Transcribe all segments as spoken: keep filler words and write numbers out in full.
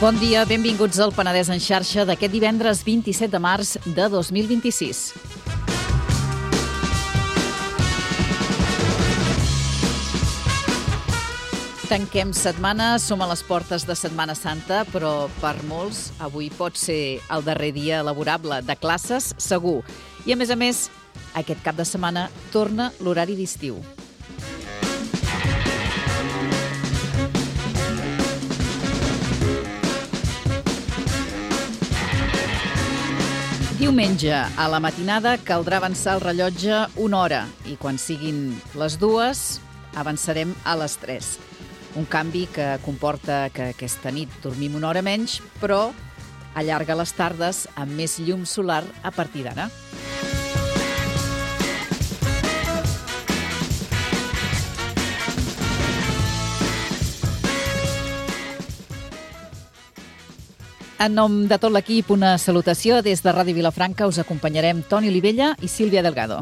Bon dia, benvinguts al Penedès en xarxa d'aquest divendres vint-i-set de març de dos mil vint-i-sis. Tanquem setmana, som a les portes de Setmana Santa, però per molts avui pot ser el darrer dia laborable de classes, segur. I a més a més, aquest cap de setmana torna l'horari d'estiu. Diumenge, a la matinada, caldrà avançar el rellotge una hora i quan siguin les dues, avançarem a les tres. Un canvi que comporta que aquesta nit dormim una hora menys, però allarga les tardes amb més llum solar a partir d'ara. En nom de tot l'equip, una salutació. Des de Ràdio Vilafranca us acompanyarem Toni Olivella i Sílvia Delgado.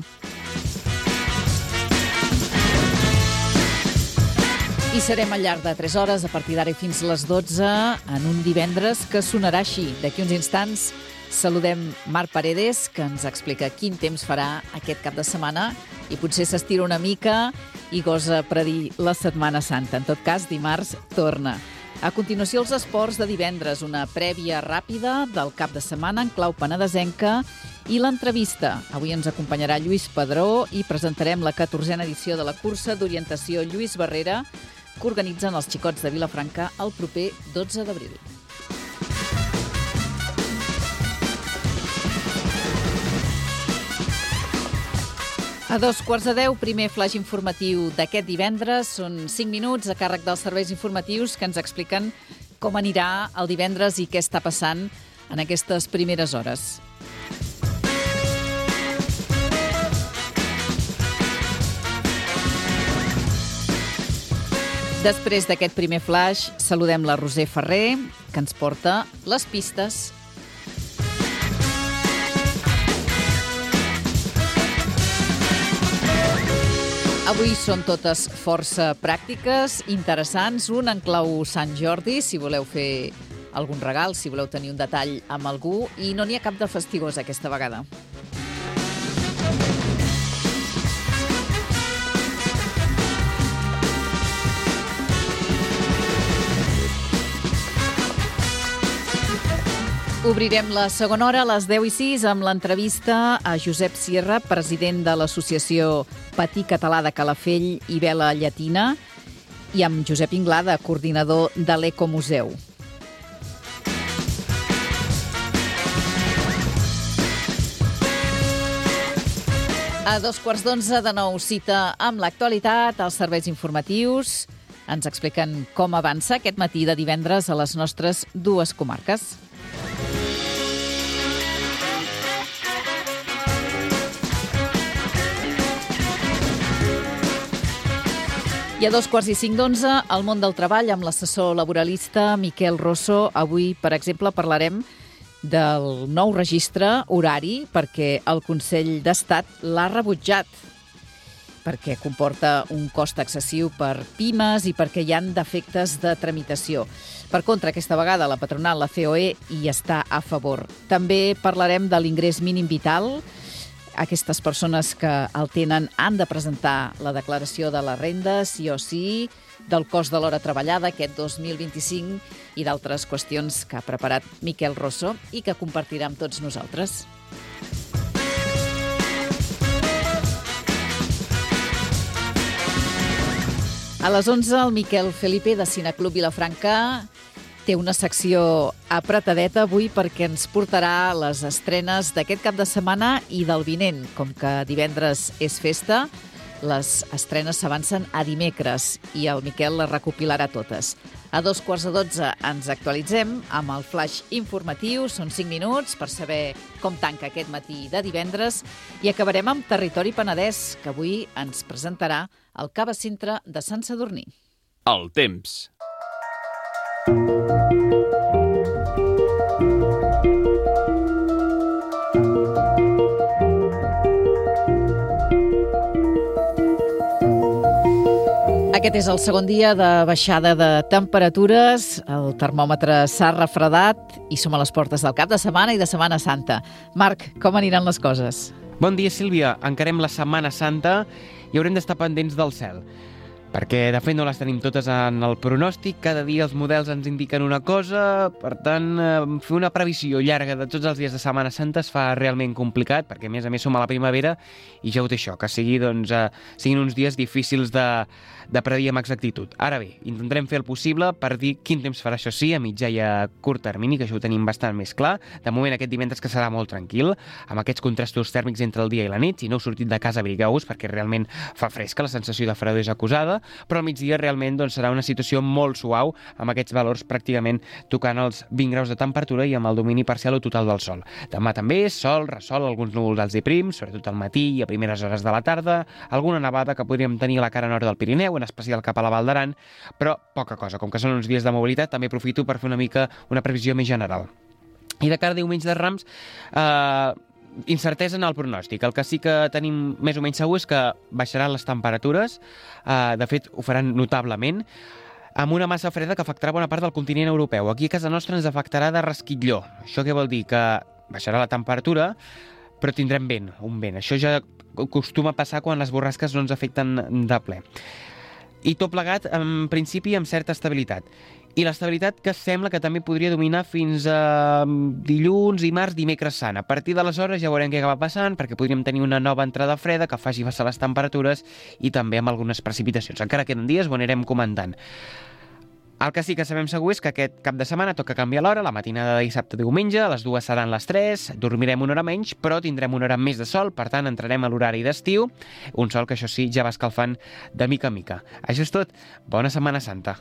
I serem al llarg de tres hores, a partir d'ara i fins les dotze, en un divendres que sonarà així. D'aquí uns instants saludem Marc Paredes, que ens explica quin temps farà aquest cap de setmana i potser s'estira una mica i gosa predir la Setmana Santa. En tot cas, dimarts torna. A continuació, els esports de divendres, una prèvia ràpida del cap de setmana en clau penedesenca i l'entrevista. Avui ens acompanyarà Lluís Padró i presentarem la catorzena edició de la cursa d'orientació Lluís Barrera que organitzen els Xicots de Vilafranca el proper dotze d'abril. A dos quarts de deu, primer flaix informatiu d'aquest divendres. Són cinc minuts a càrrec dels serveis informatius que ens expliquen com anirà el divendres i què està passant en aquestes primeres hores. Després d'aquest primer flaix, saludem la Roser Ferrer, que ens porta les pistes. Avui són totes força pràctiques, interessants, un en clau Sant Jordi, si voleu fer algun regal, si voleu tenir un detall amb algú, i no n'hi ha cap de fastigós aquesta vegada. Obrirem la segona hora a les deu i sis amb l'entrevista a Josep Sierra, president de l'associació Patí Català de Calafell i Vela Llatina, i amb Josep Inglada, coordinador de l'Ecomuseu. A dos quarts d'onze, de nou, cita amb l'actualitat, els serveis informatius. Ens expliquen com avança aquest matí de divendres a les nostres dues comarques. I a dos quarts i cinc d'onze, al món del treball, amb l'assessor laboralista Miquel Rosso. Avui, per exemple, parlarem del nou registre horari perquè el Consell d'Estat l'ha rebutjat, perquè comporta un cost excessiu per pimes i perquè hi ha defectes de tramitació. Per contra, aquesta vegada la patronal, la C O E, hi està a favor. També parlarem de l'ingrés mínim vital. Aquestes persones que el tenen han de presentar la declaració de la renda, sí o sí, del cost de l'hora treballada aquest dos mil vint-i-cinc i d'altres qüestions que ha preparat Miquel Rosso i que compartirà amb tots nosaltres. A les onze, el Miquel Felipe, de Cineclub Vilafranca, té una secció apretadeta avui perquè ens portarà les estrenes d'aquest cap de setmana i del vinent. Com que divendres és festa, les estrenes s'avancen a dimecres i el Miquel les recopilarà totes. A dos quarts de dotze ens actualitzem amb el flaix informatiu. Són cinc minuts per saber com tanca aquest matí de divendres i acabarem amb Territori Penedès, que avui ens presentarà el Cava Cintra de Sant Sadurní. El temps. Aquest és el segon dia de baixada de temperatures, el termòmetre s'ha refredat i som a les portes del cap de setmana i de Setmana Santa. Marc, com aniran les coses? Bon dia, Sílvia. Encarem la Setmana Santa i haurem d'estar pendents del cel, perquè de fet no les tenim totes en el pronòstic, cada dia els models ens indiquen una cosa, per tant, fer una previsió llarga de tots els dies de Setmana Santa es fa realment complicat, perquè a més a més som a la primavera i ja ho té això, que sigui, doncs, eh, siguin uns dies difícils de, de predir amb exactitud. Ara bé, intentarem fer el possible per dir quin temps farà, això sí, a mitjà i a curt termini, que això ho tenim bastant més clar. De moment aquest divendres que serà molt tranquil, amb aquests contrastos tèrmics entre el dia i la nit. Si no heu sortit de casa, abrigueu-vos, perquè realment fa fresca, la sensació de fredor és acusada, però al migdia realment doncs, serà una situació molt suau, amb aquests valors pràcticament tocant els vint graus de temperatura i amb el domini parcial o total del sol. Demà també sol, ressol, alguns núvols alts i prims, sobretot al matí i a primeres hores de la tarda, alguna nevada que podríem tenir a la cara nord del Pirineu, en especial cap a la Val d'Aran, però poca cosa. Com que són uns dies de mobilitat, també aprofito per fer una mica una previsió més general. I de cara a diumenge de Rams, eh, incertesa en el pronòstic. El que sí que tenim més o menys segur és que baixaran les temperatures, eh, de fet ho faran notablement, amb una massa freda que afectarà bona part del continent europeu. Aquí a casa nostra ens afectarà de resquitlló. Això què vol dir? Que baixarà la temperatura, però tindrem vent, un vent. Això ja acostuma a passar quan les borrasques no ens afecten de ple. I tot plegat, en principi, amb certa estabilitat. I l'estabilitat que sembla que també podria dominar fins a dilluns, dimarts, dimecres sant. A partir d'aleshores ja veurem què acaba passant, perquè podríem tenir una nova entrada freda que faci baixar les temperatures i també amb algunes precipitacions. Encara queden dies, ho anirem comentant. El que sí que sabem segur és que aquest cap de setmana toca canviar l'hora, la matinada de dissabte a diumenge, les dues seran les tres, dormirem una hora menys, però tindrem una hora més de sol, per tant entrarem a l'horari d'estiu, un sol que això sí ja va escalfant de mica en mica. Això és tot, bona Setmana Santa.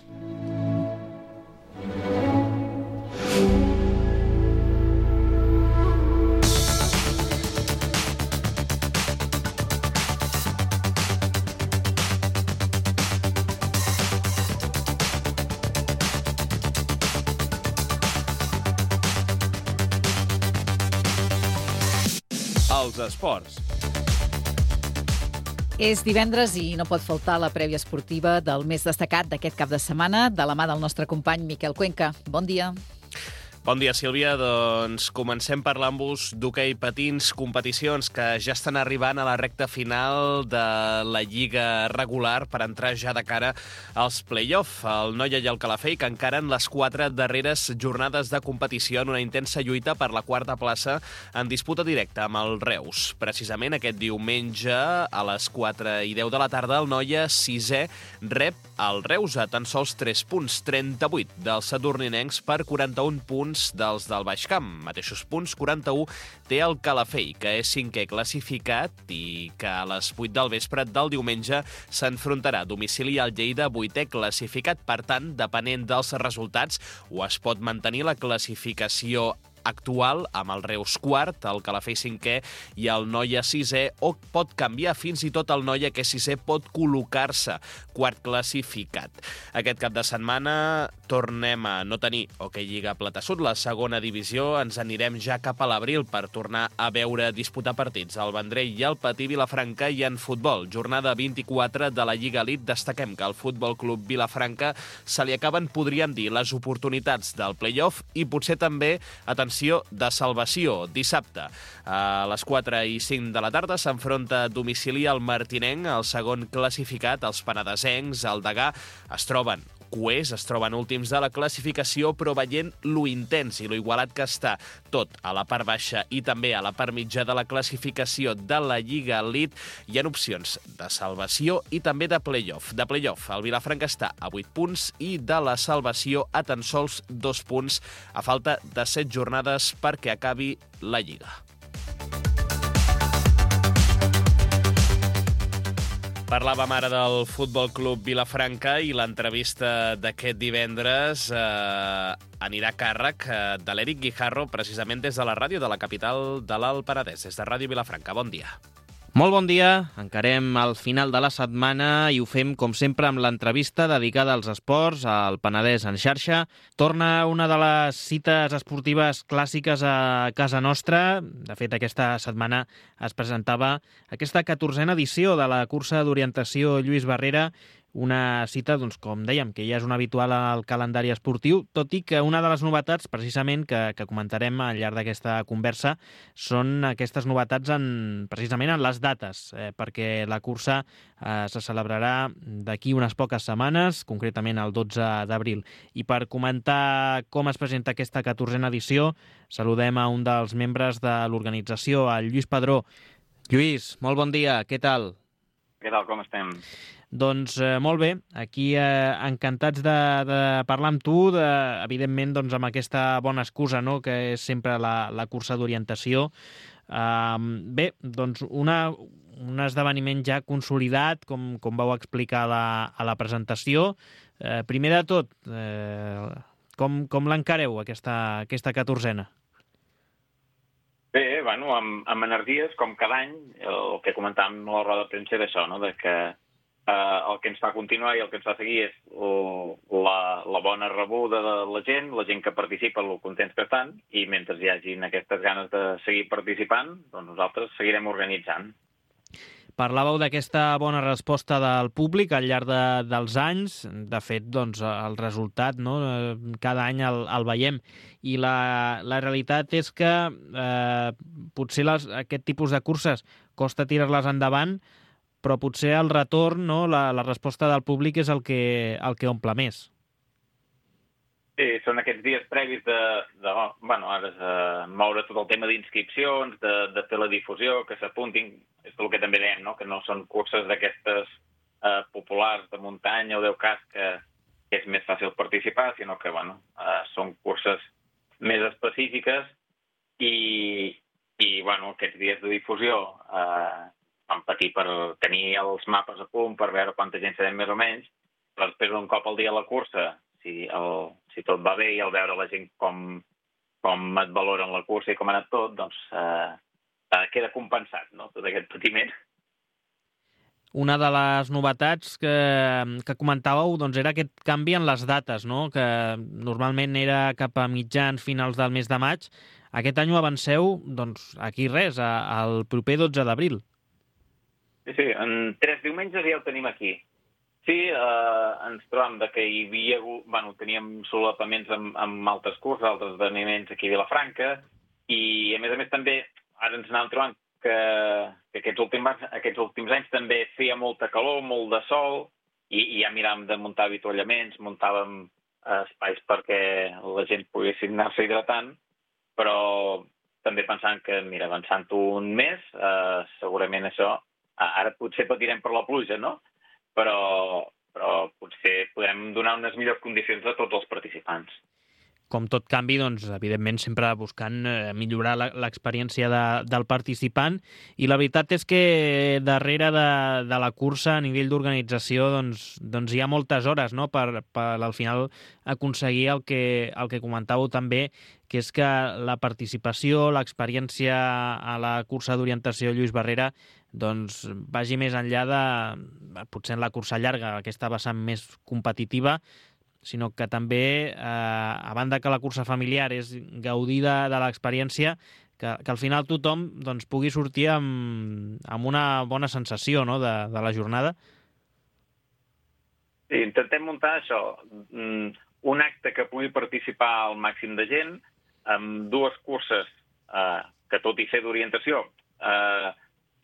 Els esports. És divendres i no pot faltar la prèvia esportiva del més destacat d'aquest cap de setmana, de la mà del nostre company Miquel Cuenca. Bon dia. Bon dia, Sílvia. Doncs comencem parlant-vos d'hoquei patins, competicions que ja estan arribant a la recta final de la lliga regular per entrar ja de cara als play-off. El Noia i el Calafell que encaren les quatre darreres jornades de competició en una intensa lluita per la quarta plaça en disputa directa amb el Reus. Precisament aquest diumenge a les quatre i deu de la tarda el Noia sisè rep el Reus a tan sols tres punts, trenta-vuit dels sadurninencs per quaranta-un punts dels del Baix Camp. Mateixos punts, quaranta-u, té el Calafell, que és cinquè classificat i que a les vuit del vespre del diumenge s'enfrontarà a domicili al Lleida, vuitè classificat. Per tant, depenent dels resultats, o es pot mantenir la classificació actual amb el Reus quart, el Calafell cinquè i el Noia sisè, o pot canviar fins i tot el Noia, que sisè pot col·locar-se quart classificat. Aquest cap de setmana tornem a no tenir hoquei Lliga Plata Sud, la segona divisió, ens anirem ja cap a l'abril per tornar a veure disputar partits al Vendrell i al Patí Vilafranca. I en futbol, jornada vint-i-quatre de la Lliga Elite, destaquem que al Futbol Club Vilafranca se li acaben, podríem dir, les oportunitats del play-off i potser també, atenció, de salvació. Dissabte, a les quatre i cinc de la tarda, s'enfronta a domicili al Martinenc, el segon classificat. Els penedesencs, el Degà, es troben cuers, es troben últims de la classificació, però veient lo intens i lo igualat que està tot a la part baixa i també a la part mitja de la classificació de la Lliga Elite, hi ha opcions de salvació i també de play-off. De play-off, el Vilafranca està a vuit punts i de la salvació a tan sols dos punts, a falta de set jornades perquè acabi la Lliga. Parlàvem ara del Futbol Club Vilafranca i l'entrevista d'aquest divendres eh, anirà a càrrec eh, de l'Eric Guijarro, precisament des de la ràdio de la capital de l'Alt Penedès, des de Ràdio Vilafranca. Bon dia. Molt bon dia, encarem el final de la setmana i ho fem, com sempre, amb l'entrevista dedicada als esports, al Penedès en xarxa. Torna una de les cites esportives clàssiques a casa nostra. De fet, aquesta setmana es presentava aquesta catorzena edició de la cursa d'orientació Lluís Barrera, una cita, doncs, com dèiem, que ja és un habitual al calendari esportiu, tot i que una de les novetats, precisament, que, que comentarem al llarg d'aquesta conversa, són aquestes novetats en, precisament en les dates, eh, perquè la cursa eh, se celebrarà d'aquí unes poques setmanes, concretament el dotze d'abril. I per comentar com es presenta aquesta catorzena edició, saludem a un dels membres de l'organització, el Lluís Padró. Lluís, molt bon dia, què tal? Què tal, com estem? Doncs eh, molt bé, aquí eh, encantats de, de parlar amb tu, de, evidentment doncs, amb aquesta bona excusa, no?, que és sempre la, la cursa d'orientació. Uh, bé, doncs una, un esdeveniment ja consolidat, com, com vau explicar a la, a la presentació. Uh, primer de tot, uh, com, com l'encareu, aquesta, aquesta catorzena? Bé, bueno, amb, amb energies, com cada any, el que comentàvem a la roda de premsa és això, no?, de que eh, el que ens fa continuar i el que ens fa seguir és el, la, la bona rebuda de la gent, la gent que participa, el contents que estan, i mentre hi hagin aquestes ganes de seguir participant, doncs nosaltres seguirem organitzant. Parlàveu d'aquesta bona resposta del públic al llarg de, dels anys. De fet, doncs, el resultat, no?, cada any el, el veiem. I la, la realitat és que eh, potser les, aquest tipus de curses costa tirar-les endavant, però potser el retorn, no?, la, la resposta del públic és el que, el que omple més. Sí, són aquests dies previs de, de bueno, ara és uh, moure tot el tema d'inscripcions, de, de fer la difusió, que s'apuntin, és el que també dèiem, no?, que no són curses d'aquestes uh, populars de muntanya o deu cas que, que és més fàcil participar, sinó que, bueno, uh, són curses més específiques i, i bueno, aquests dies de difusió uh, vam patir per tenir els mapes a punt, per veure quanta gent serem més o menys, però després un cop al dia a la cursa, si, el, si tot va bé i al veure la gent com, com et valoren la cursa i com ha anat tot, doncs eh, queda compensat, no?, tot aquest patiment. Una de les novetats que, que comentàveu doncs, era aquest canvi en les dates, no?, que normalment era cap a mitjans, finals del mes de maig. Aquest any ho avanceu, doncs, aquí res, a, al proper dotze d'abril. Sí, sí, en tres diumenges ja ho tenim aquí. Sí, eh, ens trobam de que hi havia, bueno, teníem solapaments amb, amb altres curses, altres esdeveniments aquí a Vilafranca, i a més a més també ara ens anàvem trobant que, que aquests, últims, aquests últims anys també feia molta calor, molt de sol, i, i ja miràvem de muntar avituallaments, muntàvem eh, espais perquè la gent poguessin anar-se hidratant, però també pensant que, mira, avançant un mes, eh, segurament això, ara potser patirem per la pluja, no?, però, però potser podem donar unes millors condicions a tots els participants. Com tot canvi, doncs, evidentment, sempre buscant eh, millorar l'experiència de, del participant. I la veritat és que darrere de, de la cursa, a nivell d'organització, doncs, doncs hi ha moltes hores, no?, per, per al final aconseguir el que, el que comentàveu també, que és que la participació, l'experiència a la cursa d'orientació Lluís Barrera, doncs vagi més enllà de, potser en la cursa llarga, aquesta vessant més competitiva, sinó que també, eh, a banda que la cursa familiar és gaudir de, de l'experiència, que, que al final tothom doncs, pugui sortir amb, amb una bona sensació, no?, de, de la jornada. Sí, intentem muntar això, un acte que pugui participar el màxim de gent, amb dues curses eh, que, tot i ser d'orientació, eh,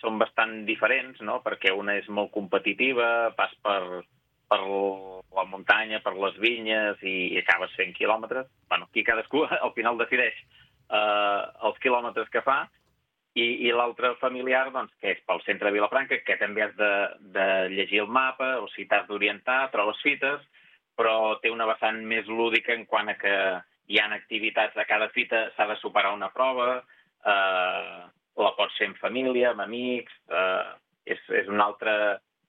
són bastant diferents, no?, perquè una és molt competitiva, pas per... per la muntanya, per les vinyes, i, i acabes fent quilòmetres. Bueno, aquí cadascú al final decideix eh, els quilòmetres que fa, i, i l'altre familiar, doncs, que és pel centre de Vilafranca, que també has de, de llegir el mapa, o si t'has d'orientar, trobes fites, però té una vessant més lúdica en quant a que hi ha activitats a cada fita, s'ha de superar una prova, eh, la pots fer en família, amb amics, eh, és, és una altra...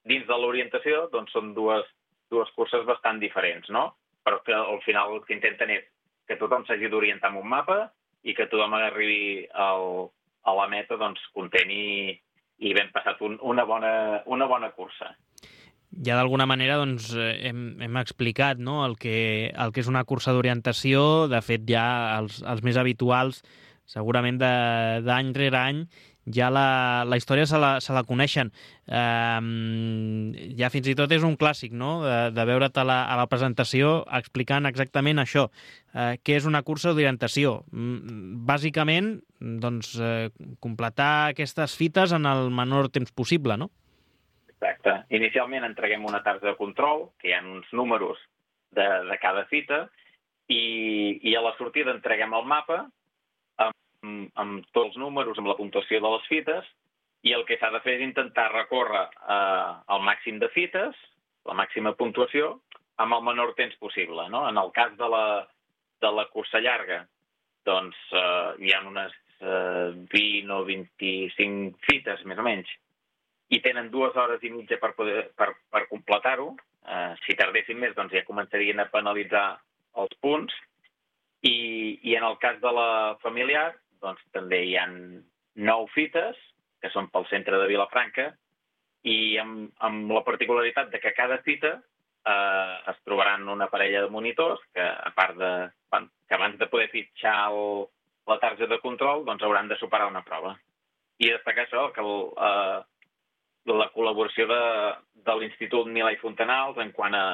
Dins de l'orientació, doncs, són dues, dues curses bastant diferents, no? Però que al final el que intenten és que tothom s'hagi d'orientar amb un mapa i que tothom arribi al, a la meta, doncs, content i, i ben passat un, una, bona, una bona cursa. Ja d'alguna manera doncs, hem, hem explicat, no?, el que, el que és una cursa d'orientació. De fet, ja els, els més habituals segurament d'any rere any ja la, la història se la, se la coneixen. Eh, ja fins i tot és un clàssic, no?, de, de veure't a la, a la presentació explicant exactament això. Eh, què és una cursa d'orientació? Bàsicament, doncs, eh, completar aquestes fites en el menor temps possible, no? Exacte. Inicialment entreguem una targeta de control, que hi ha uns números de, de cada fita, i, i a la sortida entreguem el mapa amb, amb tots els números, amb la puntuació de les fites, i el que s'ha de fer és intentar recórrer eh, el màxim de fites, la màxima puntuació, amb el menor temps possible, no? En el cas de la, de la cursa llarga, doncs eh, hi ha unes eh, vint o vint-i-cinc fites, més o menys, i tenen dues hores i mitja per, poder, per, per completar-ho. Eh, si tardessin més, doncs ja començarien a penalitzar els punts. I, i en el cas de la familiar, doncs també hi ha nou fites, que són pel centre de Vilafranca, i amb, amb la particularitat de que cada fita eh, es trobaran una parella de monitors que, a part de, que abans de poder fitxar el, la targeta de control, doncs hauran de superar una prova. I destacar això, que el, eh, la col·laboració de, de l'Institut Milà i Fontanals en quant a,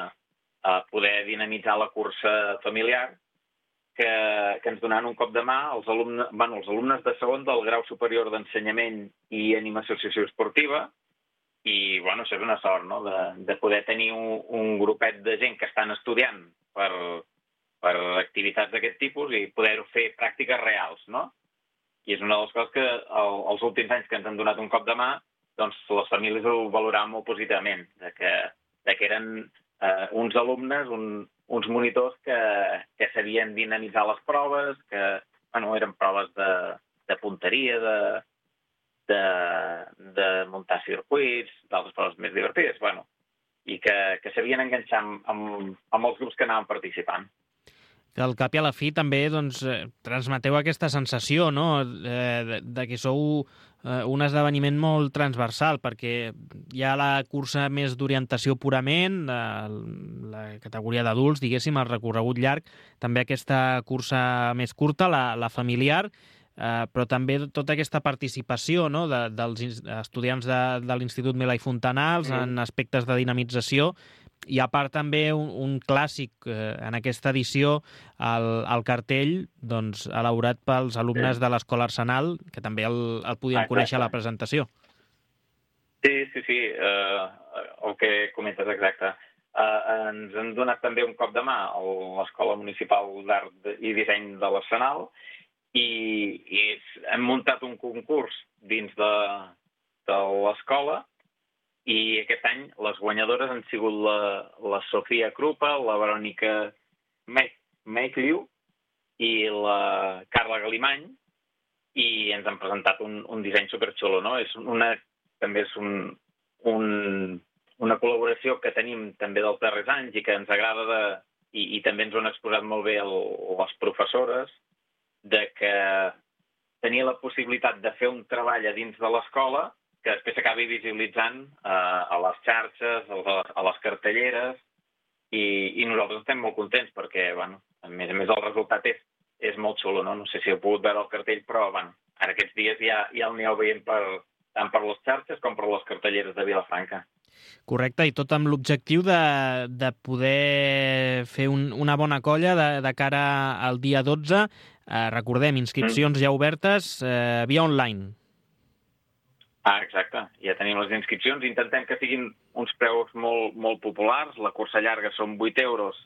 a poder dinamitzar la cursa familiar, que, que ens donaran un cop de mà els alumnes, bueno, els alumnes de segon del grau superior d'ensenyament i animació socioesportiva, i bueno, això és una sort, no?, de, de poder tenir un, un grupet de gent que estan estudiant per, per activitats d'aquest tipus i poder fer pràctiques reals, no? I és una de les coses que el, els últims anys que ens han donat un cop de mà, doncs les famílies ho valoraven molt positivament, de que, de que eren eh, uns alumnes, un, uns monitors que, que sabien dinamitzar les proves, que bueno, eren proves de, de punteria, de, de, de muntar circuits, d'altres proves més divertides, bueno, i que, que sabien enganxar amb, amb, amb els grups que anaven participant. Que al cap i a la fi també doncs, eh, transmeteu aquesta sensació, no?, eh, de, de que sou eh, un esdeveniment molt transversal, perquè hi ha la cursa més d'orientació purament, la, la categoria d'adults, diguéssim, el recorregut llarg, també aquesta cursa més curta, la, la familiar, eh, però també tota aquesta participació, no?, de, dels estudiants de, de l'Institut Milà i Fontanals mm. en aspectes de dinamització. I a part també un, un clàssic eh, en aquesta edició, el, el cartell doncs, elaborat pels alumnes sí. de l'Escola Arsenal, que també el, el podíem ah, conèixer a la presentació. Sí, sí, sí, uh, el que comentes exacte. Uh, ens han donat també un cop de mà a l'Escola Municipal d'Art i Disseny de l'Arsenal i, i hem muntat un concurs dins de, de l'escola. I aquest any les guanyadores han sigut la, la Sofia Krupa, la Verònica Meikliu i la Carla Galimany, i ens han presentat un, un disseny superxulo, no? És una, també és un, un, una col·laboració que tenim també dels darrers anys i que ens agrada de, i, i també ens ho han exposat molt bé el, les professores, de que tenia la possibilitat de fer un treball a dins de l'escola que després s'acabi visibilitzant eh, a les xarxes, a, a les cartelleres, i, i nosaltres estem molt contents perquè, bueno, a més a més el resultat és, és molt xulo, no? No sé si heu pogut veure el cartell, però, bueno, ara aquests dies ja, ja el aneu veient per, tant per les xarxes com per les cartelleres de Vilafranca. Correcte, i tot amb l'objectiu de, de poder fer un, una bona colla de, de cara al dia dotze. Eh, recordem, inscripcions mm. ja obertes eh, via online. Ah, exacte. Ja tenim les inscripcions. Intentem que siguin uns preus molt, molt populars. La cursa llarga són vuit euros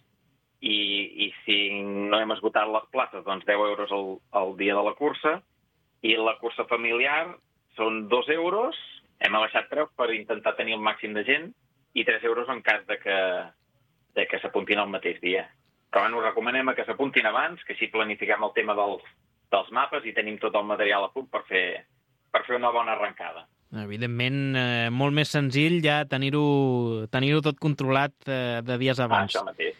i, i si no hem esgotat les places, doncs deu euros el, el dia de la cursa. I la cursa familiar són dos euros. Hem abaixat preus per intentar tenir el màxim de gent i tres euros en cas de que, de que s'apuntin el mateix dia. Però bueno, recomanem que s'apuntin abans, que així planifiquem el tema dels, dels mapes i tenim tot el material a punt per fer per fer una bona arrencada. Evidentment, eh, molt més senzill ja tenir-ho tenir-ho tot controlat eh, de dies abans. Ah, això mateix.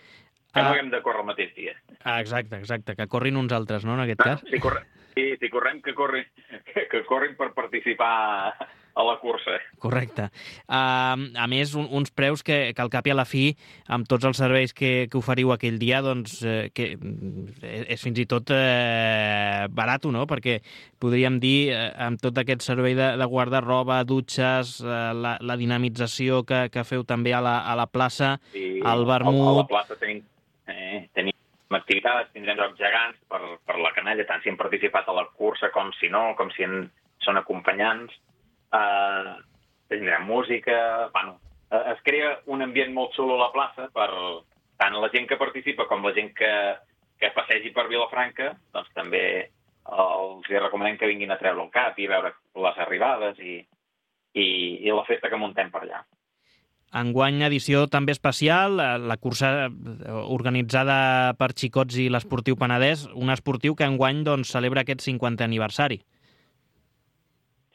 Que no haguem de córrer el mateix dia. Ah, exacte, exacte. Que corrin uns altres, no, en aquest no, cas? Si correm, sí, si correm que, corri, que, que corrin per participar a la cursa. Correcte. Uh, a més, un, uns preus que, que al cap i a la fi, amb tots els serveis que, que oferiu aquell dia, doncs eh, que és fins i tot eh, barat, no? Perquè podríem dir, eh, amb tot aquest servei de, de guarda-roba, dutxes, eh, la, la dinamització que, que feu també a la, a la plaça, sí, al vermut... A la plaça tenim, eh, tenim activitats, tindrem jocs gegants per, per la canalla, tant si hem participat a la cursa com si no, com si en, són acompanyants. Uh, tindrem música, bueno, uh, es crea un ambient molt xulo a la plaça per tant la gent que participa com la gent que, que passegi per Vilafranca, doncs també els recomanem que vinguin a treure el cap i veure les arribades i, i, i la festa que muntem per allà. Enguany edició també especial, la cursa organitzada per Xicots i l'Esportiu Penedès, un esportiu que enguany doncs, celebra aquest cinquantè aniversari.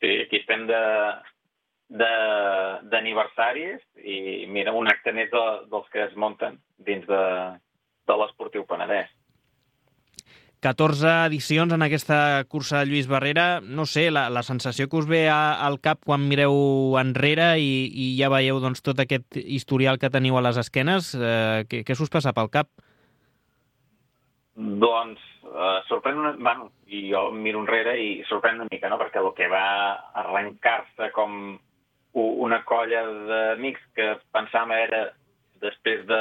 Sí, aquí estem de, de, d'aniversaris i mira, un acte més de, dels que es munten dins de, de l'Esportiu Penedès. catorze edicions en aquesta cursa de Lluís Barrera. No sé, la, la sensació que us ve a, al cap quan mireu enrere i, i ja veieu doncs, tot aquest historial que teniu a les esquenes, eh, què, què s'us passa pel cap? Doncs uh, sorprèn una... Bueno, i jo miro enrere i sorprèn una mica, no? Perquè el que va arrencar-se com una colla d'amics que pensàvem era després de,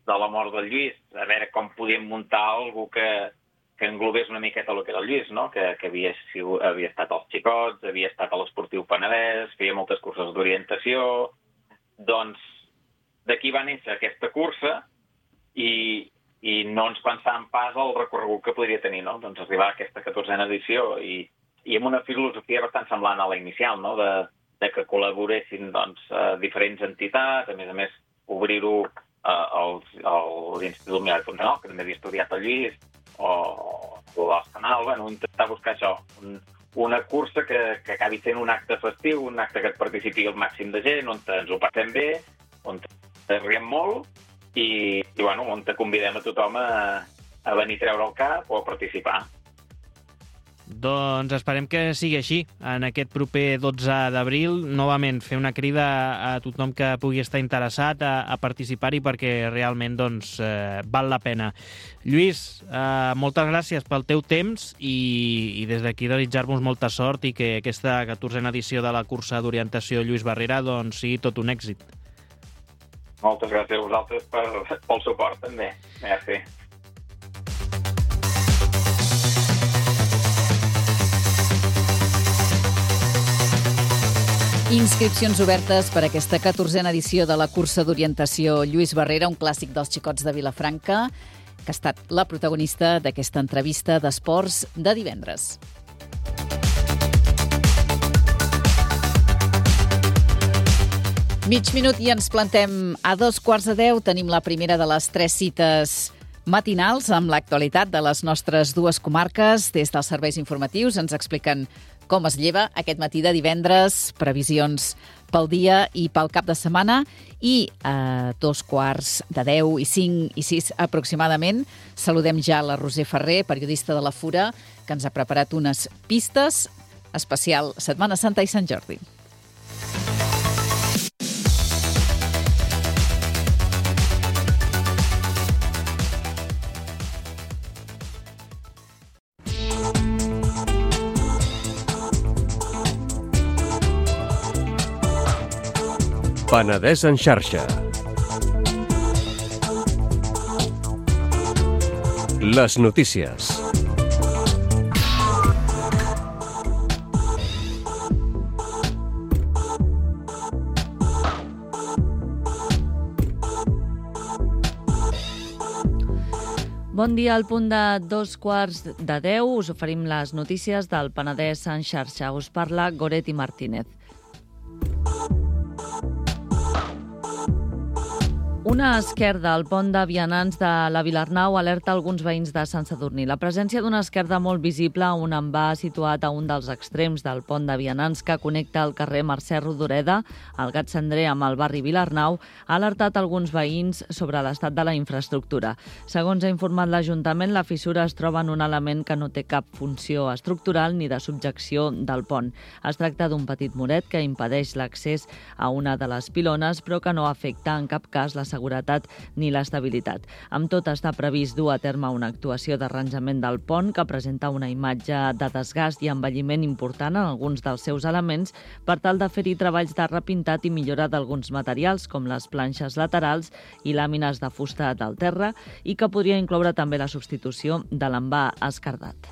de la mort del Lluís, a veure com podíem muntar alguna que, que englobés una miqueta el que era el Lluís, no? Que, que havia, havia estat als Xicots, havia estat a l'Esportiu Penedès, feia moltes curses d'orientació. Doncs d'aquí va néixer aquesta cursa i i no ens pensàvem pas el recorregut que podria tenir, no? Doncs arribar a aquesta catorzena edició i, i amb una filosofia bastant semblant a la inicial, no? De, de que col·laboressin doncs, diferents entitats, a més a més obrir-ho eh, als, als Institut Miral Fontanal, que també havia estudiat el Lluís, o, o al Canal, bueno, intentar buscar això, un, una cursa que, que acabi sent un acte festiu, un acte que et participi el màxim de gent, on ens ho passem bé, on ens riem molt, i, i bueno, on te convidem a tothom a, a venir a treure el cap o a participar. Doncs esperem que sigui així. En aquest proper dotze d'abril, novament, fer una crida a tothom que pugui estar interessat a, a participar-hi perquè realment doncs, eh, val la pena. Lluís, eh, moltes gràcies pel teu temps i, i des d'aquí desitjar-vos molta sort i que aquesta catorzena edició de la cursa d'orientació Lluís Barrera doncs, sigui tot un èxit. Moltes gràcies a vosaltres per, pel suport, també. Merci. Inscripcions obertes per aquesta catorzena edició de la cursa d'orientació Lluís Barrera, un clàssic dels Xicots de Vilafranca, que ha estat la protagonista d'aquesta entrevista d'esports de divendres. Mig minut i ens plantem a dos quarts de deu. Tenim la primera de les tres cites matinals amb l'actualitat de les nostres dues comarques. Des dels serveis informatius ens expliquen com es lleva aquest matí de divendres, previsions pel dia i pel cap de setmana, i a dos quarts de deu i cinc i sis aproximadament saludem ja la Roser Ferrer, periodista de la Fura, que ens ha preparat unes pistes especial Setmana Santa i Sant Jordi. Penedès en xarxa. Les notícies. Bon dia, al punt de dos quarts de deu us oferim les notícies del Penedès en xarxa. Us parla Goretti Martínez. Una esquerda al pont de vianants de la Vilarnau alerta alguns veïns de Sant Sadurní. La presència d'una esquerda molt visible a un envà situat a un dels extrems del pont de vianants que connecta el carrer Mercè Rodoreda, al Gat Cendrer, amb el barri Vilarnau, ha alertat alguns veïns sobre l'estat de la infraestructura. Segons ha informat l'Ajuntament, la fissura es troba en un element que no té cap funció estructural ni de subjecció del pont. Es tracta d'un petit muret que impedeix l'accés a una de les pilones, però que no afecta en cap cas la seguretat ni l'estabilitat. Amb tot, està previst dur a terme una actuació d'arranjament del pont que presenta una imatge de desgast i envelliment important en alguns dels seus elements per tal de fer-hi treballs de repintat i millora d'alguns materials com les planxes laterals i làmines de fusta del terra i que podria incloure també la substitució de l'envà esquerdat.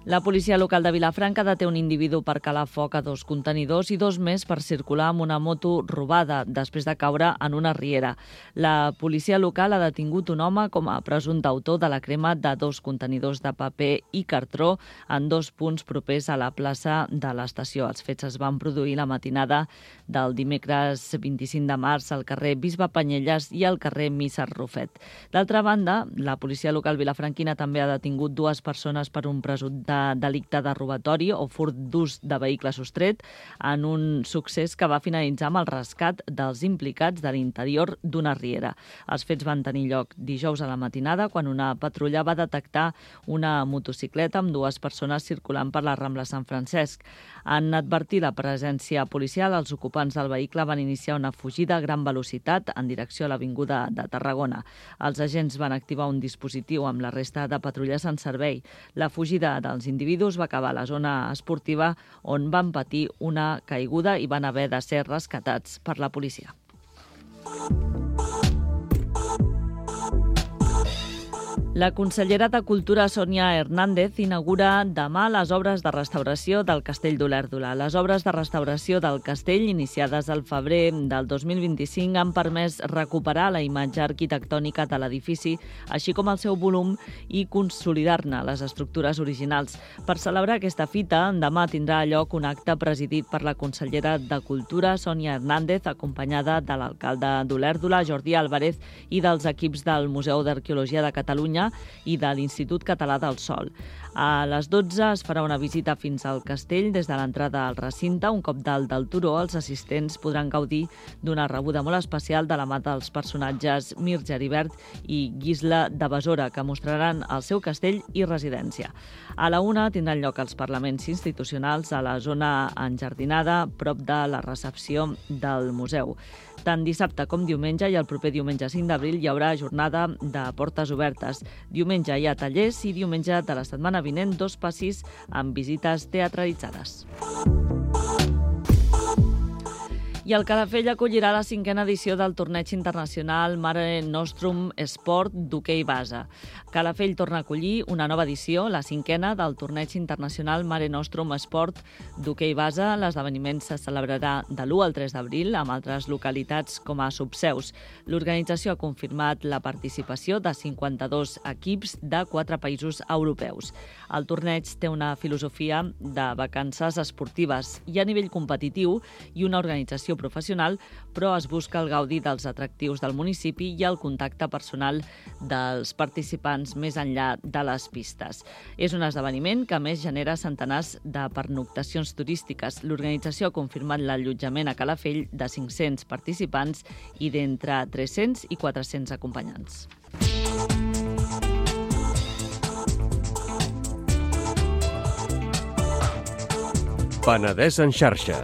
La policia local de Vilafranca deté un individu per calar foc a dos contenidors i dos més per circular amb una moto robada després de caure en una riera. La policia local ha detingut un home com a presumpte autor de la crema de dos contenidors de paper i cartró en dos punts propers a la plaça de l'estació. Els fets es van produir la matinada del dimecres vint-i-cinc de març al carrer Bisbe Panyelles i al carrer Misser Rufet. D'altra banda, la policia local vilafranquina també ha detingut dues persones per un presumpte delicte de robatori o furt d'ús de vehicle sostret en un succés que va finalitzar amb el rescat dels implicats de l'interior d'una riera. Els fets van tenir lloc dijous a la matinada quan una patrulla va detectar una motocicleta amb dues persones circulant per la Rambla Sant Francesc. En advertir la presència policial, els ocupants del vehicle van iniciar una fugida a gran velocitat en direcció a l'avinguda de Tarragona. Els agents van activar un dispositiu amb la resta de patrulles en servei. La fugida dels individus va acabar a la zona esportiva on van patir una caiguda i van haver de ser rescatats per la policia. La consellera de Cultura, Sònia Hernández, inaugura demà les obres de restauració del Castell d'Olèrdola. Les obres de restauració del castell, iniciades al febrer del dos mil vint-i-cinc, han permès recuperar la imatge arquitectònica de l'edifici, així com el seu volum, i consolidar-ne les estructures originals. Per celebrar aquesta fita, demà tindrà lloc un acte presidit per la consellera de Cultura, Sònia Hernández, acompanyada de l'alcalde d'Olèrdola, Jordi Álvarez, i dels equips del Museu d'Arqueologia de Catalunya i de l'Institut Català del Sòl. A les dotze es farà una visita fins al castell des de l'entrada al recinte. Un cop dalt del turó, els assistents podran gaudir d'una rebuda molt especial de la mà dels personatges Mir Geribert i Gisla de Besora, que mostraran el seu castell i residència. A la una tindran lloc els parlaments institucionals a la zona enjardinada, prop de la recepció del museu. Tant dissabte com diumenge i el proper diumenge cinc d'abril hi haurà jornada de portes obertes. Diumenge hi ha tallers i diumenge de la setmana vinent dos passis amb visites teatralitzades. I el Calafell acollirà la cinquena edició del torneig internacional Mare Nostrum Sport d'hoquei base. Calafell torna a acollir una nova edició, la cinquena, del torneig internacional Mare Nostrum Sport d'hoquei base. L'esdeveniment se celebrarà de l'u al tres d'abril amb altres localitats com a subseus. L'organització ha confirmat la participació de cinquanta-dos equips de quatre països europeus. El torneig té una filosofia de vacances esportives i a nivell competitiu i una organització professional, però es busca el gaudi dels atractius del municipi i el contacte personal dels participants més enllà de les pistes. És un esdeveniment que a més genera centenars de pernoctacions turístiques. L'organització ha confirmat l'allotjament a Calafell de cinc-cents participants i d'entre tres-cents i quatre-cents acompanyants. Penedès en xarxa.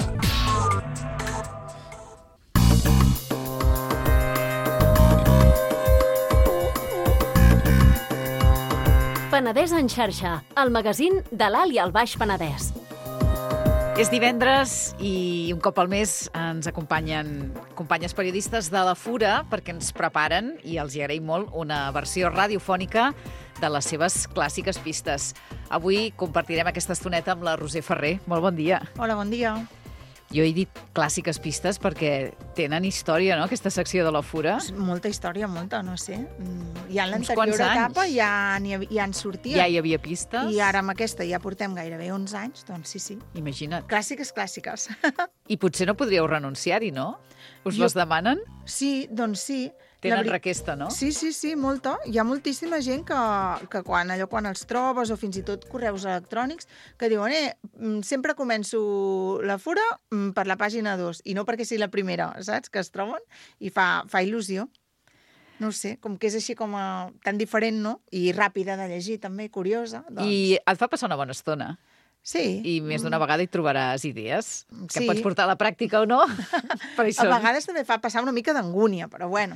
Penedès en xarxa, el magazín de l'Alt i el Baix Penedès. És divendres i un cop al mes ens acompanyen companyes periodistes de la Fura perquè ens preparen, i els hi agraïm molt, una versió radiofònica de les seves clàssiques pistes. Avui compartirem aquesta estoneta amb la Roser Ferrer. Molt bon dia. Hola, bon dia. Jo he dit clàssiques pistes perquè tenen història, no?, aquesta secció de la Fura. Molta història, molta, no sé. Ja en Uns quants l'anterior anys. etapa ja, n'hi havia- ja en sortia. Ja hi havia pistes. I ara amb aquesta ja portem gairebé onze anys, doncs sí, sí. Imagina't. Clàssiques, clàssiques. I potser no podríeu renunciar-hi, no? Us Jo- les demanen? Sí, doncs sí. Tenen La veri- requesta, no? Sí, sí, sí, molta. Hi ha moltíssima gent que, que quan, allò, quan els trobes, o fins i tot correus electrònics, que diuen, eh, mm, sempre començo la Fura mm, per la pàgina dos, i no perquè sigui la primera, saps?, que es troben, i fa, fa il·lusió. No ho sé, com que és així com a, tan diferent, no? I ràpida de llegir, també, curiosa. Doncs... I et fa passar una bona estona. Sí. I més d'una vegada hi trobaràs idees que Sí. pots portar a la pràctica o no. Per A vegades també fa passar una mica d'angúnia, però bueno,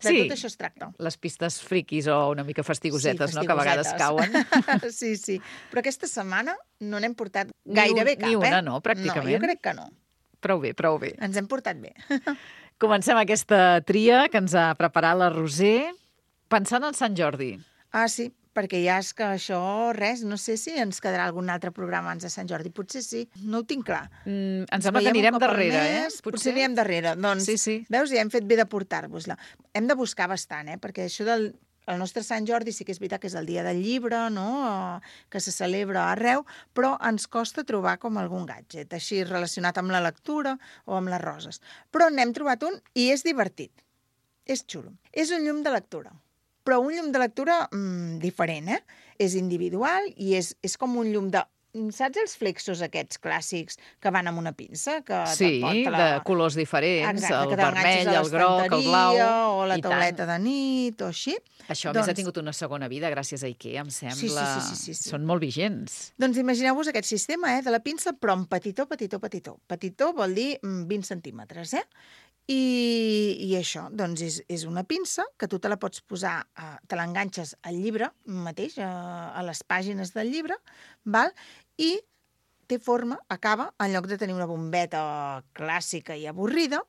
de Sí. tot això es tracta. Les pistes friquis o una mica fastigosetes, Sí, no?, que a vegades cauen. fastigosetes. Sí, sí. Però aquesta setmana no n'hem portat Ni gairebé un- cap, ni una, eh? no, pràcticament. No, jo crec que no. Prou bé, prou bé. Ens hem portat bé. Comencem aquesta tria que ens ha preparat la Roser pensant en Sant Jordi. Ah, sí, perquè ja és que això, res, no sé si ens quedarà algun altre programa abans de Sant Jordi. Potser sí, no ho tinc clar. Mm, em Ens sembla que veiem un anirem cop al darrere, mes, eh? Potser anirem darrere. Doncs, Sí, sí. veus, ja hem fet bé de portar-vos-la. Hem de buscar bastant, eh? Perquè això del el nostre Sant Jordi sí que és veritat que és el dia del llibre, no?, que se celebra arreu, però ens costa trobar com algun gadget, així relacionat amb la lectura o amb les roses. Però n'hem trobat un i és divertit. És xulo. És un llum de lectura. Però un llum de lectura mmm, diferent, eh? És individual i és, és com un llum de... Saps els flexos aquests clàssics que van amb una pinça? Que Sí, te'n porta de colors diferents, Exacte, el que t'enganxes vermell, a el groc, el blau... l'estanteria, o la i tant. tauleta de nit, o així. Això a Doncs- més ha tingut una segona vida gràcies a IKEA, em sembla. Sí, sí, sí, sí, sí, sí. Són molt vigents. Doncs imagineu-vos aquest sistema, eh, de la pinça, però en petitó, petitó, petitó. Petitó vol dir mm, vint centímetres, eh? I, i això, doncs és, és una pinça que tu te la pots posar, eh, te l'enganxes al llibre mateix, a, a les pàgines del llibre, val? I té forma, acaba, en lloc de tenir una bombeta clàssica i avorrida,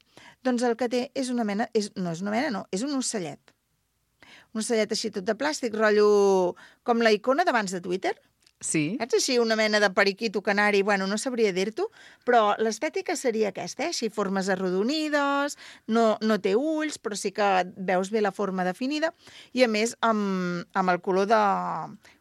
doncs el que té és una mena, és, no és una mena, no, és un ocellet. Un ocellet així tot de plàstic, rotllo com la icona d'abans de Twitter. Sí. Saps així una mena de periquito canari, bueno, no sabria dir-t'ho, però l'estètica seria aquesta, eh? Així formes arrodonides, no, no té ulls, però sí que veus bé la forma definida, i a més amb, amb el color de,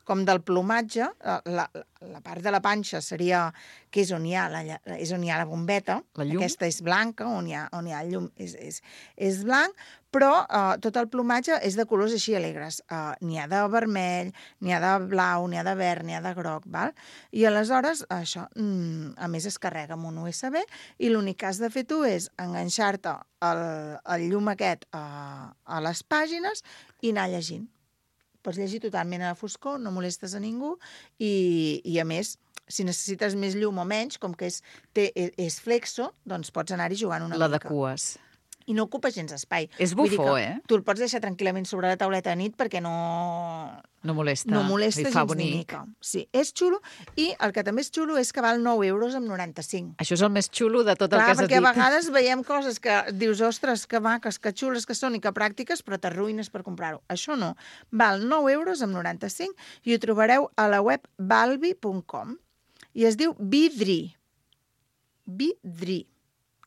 com del plomatge, la, la part de la panxa seria, que és on hi ha la, és on hi ha la bombeta, La llum? aquesta és blanca, on hi ha, on hi ha el llum és, és, és blanc, però eh, tot el plomatge és de colors així alegres. Eh, n'hi ha de vermell, n'hi ha de blau, n'hi ha de verd, n'hi ha de groc, val? I aleshores, això, mm, a més es carrega amb un U S B i l'únic que has de fer tu és enganxar-te el, el llum aquest a, a les pàgines i anar llegint. Pots llegir totalment a la foscor, no molestes a ningú i, i a més, si necessites més llum o menys, com que és, té, és flexo, doncs pots anar-hi jugant una La mica. d'acues. I no ocupa gens espai. És Vull dir bufó, que eh? Tu el pots deixar tranquil·lament sobre la tauleta de nit perquè no, No molesta. no molesta Li fa gens ni bonic. mica. Sí, és xulo i el que també és xulo és que val nou euros amb noranta-cinc. Això és el més xulo de tot el Clar, que has perquè dit. a vegades veiem coses que dius, ostres, que maques, que xules que són i que pràctiques, però t'arruïnes per comprar-ho. Això no. Val nou euros amb noranta-cinc i ho trobareu a la web balbi punt com i es diu Vidri. Vidri.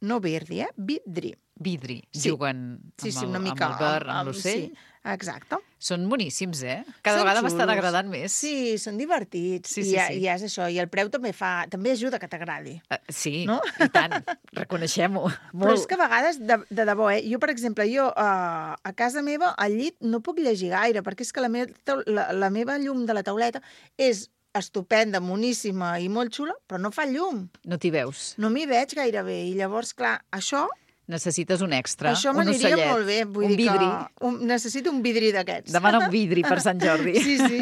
No Virdi, eh? Vidri. Vidri. Sí. Juguen Sí, amb, sí, una el, mica. amb el verd, amb l'ocell. Sí, exacte. Són boníssims, eh? Cada Són vegada m'estan xulos. agradant més. Sí, són divertits. Sí, I, sí, ja, sí. I és això. I el preu també fa, també ajuda que t'agradi. Uh, sí, No? i tant. Reconeixem-ho. Però és que a vegades, de, de debò, eh? Jo, per exemple, jo uh, a casa meva, al llit, no puc llegir gaire, perquè és que la, me la, la meva llum de la tauleta és estupenda, moníssima i molt xula, però no fa llum. No t'hi veus. No m'hi veig gaire bé. I llavors, clar, això, Necessites un extra, això un m'aniria ocellet, molt bé. Vull un dir vidri. Que un, necessito un vidri d'aquests. Demana un vidri per Sant Jordi. Sí, sí.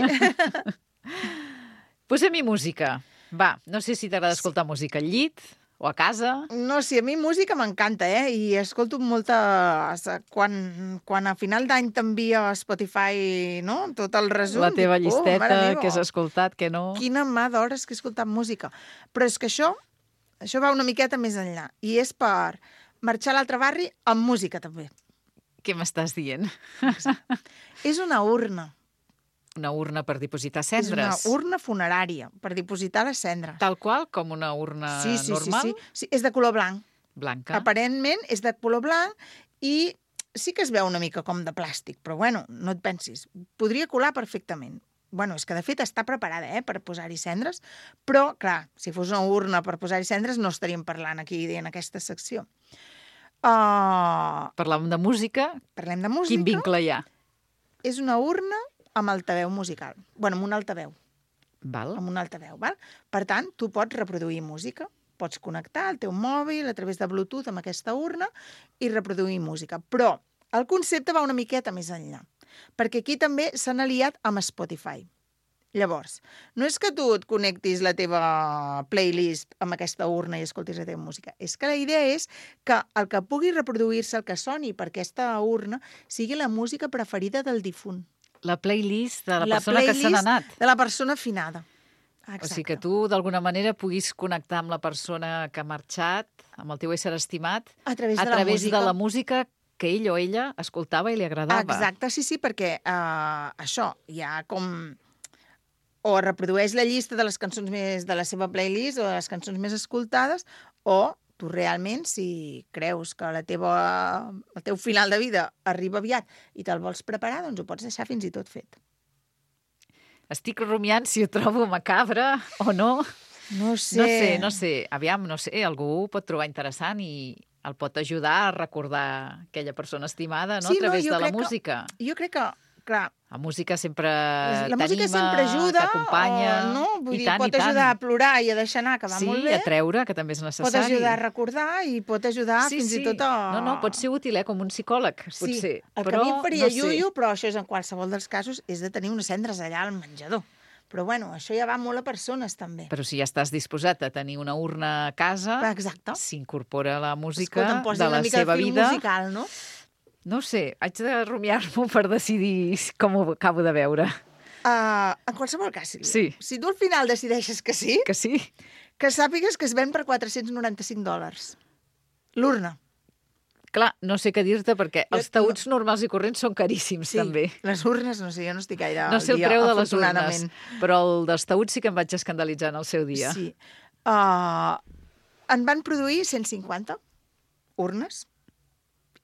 Posem-hi música. Va, no sé si t'agrada escoltar música al llit o a casa. No, sí, a mi música m'encanta, eh? I escolto molta... Quan, quan a final d'any t'envia a Spotify, no?, tot el resum. La teva dic, llisteta, oh, mare meva, que has escoltat, que no... Quina mà d'hores que he escoltat música. Però és que això, això va una miqueta més enllà. I és per marxar a l'altre barri amb música, també. Què m'estàs dient? És una urna. Una urna per dipositar És cendres. una urna funerària, per dipositar les cendres. Tal qual, com una urna sí, sí, normal? Sí, sí, sí. És de color blanc. Blanca. Aparentment és de color blanc i sí que es veu una mica com de plàstic, però bueno, no et pensis. Podria colar perfectament. Bueno, és que de fet està preparada eh, per posar-hi cendres, però, clar, si fos una urna per posar-hi cendres no estaríem parlant aquí en aquesta secció. Uh, Parlàvem de música. Parlem de música. Quin vincle hi ha? És una urna amb altaveu musical. Bueno, amb un altaveu. Val. Amb un altaveu, val? Per tant, tu pots reproduir música. Pots connectar el teu mòbil a través de Bluetooth amb aquesta urna i reproduir música. Però el concepte va una miqueta més enllà, perquè aquí també s'han aliat amb Spotify. Llavors, no és que tu et connectis la teva playlist amb aquesta urna i escoltis la teva música. És que la idea és que el que pugui reproduir-se, el que soni per aquesta urna, sigui la música preferida del difunt. La playlist de la, La persona que se n'ha anat. de la persona finada. Exacte. O sigui que tu, d'alguna manera, puguis connectar amb la persona que ha marxat, amb el teu ésser estimat, A través a de la través música. de la música que ell o ella escoltava i li agradava. Exacte, sí, sí, perquè uh, això, hi ha com... O reprodueix la llista de les cançons més de la seva playlist o de les cançons més escoltades, o tu realment, si creus que la teva, el teu final de vida arriba aviat i te'l vols preparar, doncs ho pots deixar fins i tot fet. Estic rumiant si ho trobo macabre o no. No sé. No sé, no sé. Aviam, no sé, algú ho pot trobar interessant i el pot ajudar a recordar aquella persona estimada, no? Sí, a través no, jo de la crec que- música. Jo crec que, clar, La música sempre la música t'anima, sempre ajuda, t'acompanya. o no? Vull I dir, tant, pot i tant. ajudar a plorar i a deixar anar, que va sí, molt bé. a treure, que també és necessari. Pot ajudar a recordar i pot ajudar sí, fins sí. i tot a... No, no, pot ser útil, eh, com un psicòleg, Sí, potser. el que però, a mi em faria no sé. iuiu, però això és en qualsevol dels casos, és de tenir unes cendres allà al menjador. Però bueno, això ja va molt a persones, també. Però si ja estàs disposat a tenir una urna a casa, Exacte. s'incorpora la música Escolta, em posi de la una mica seva de fil vida. musical, no? No ho sé, haig de rumiar-m'ho per decidir com ho acabo de veure. Uh, en qualsevol cas, Sílvia, Sí. si tu al final decideixes que sí, Que sí? que sàpigues que es ven per quatre-cents noranta-cinc dòlars. L'urna. Clar, no sé què dir-te, perquè Jo- els taüts normals i corrents són caríssims, Sí, també. les urnes, no sé, jo no estic gaire No al sé el dia, preu de les urnes, afortunadament. però el dels taüts sí que em vaig escandalitzar en el seu dia. Sí. Uh, en van produir cent cinquanta urnes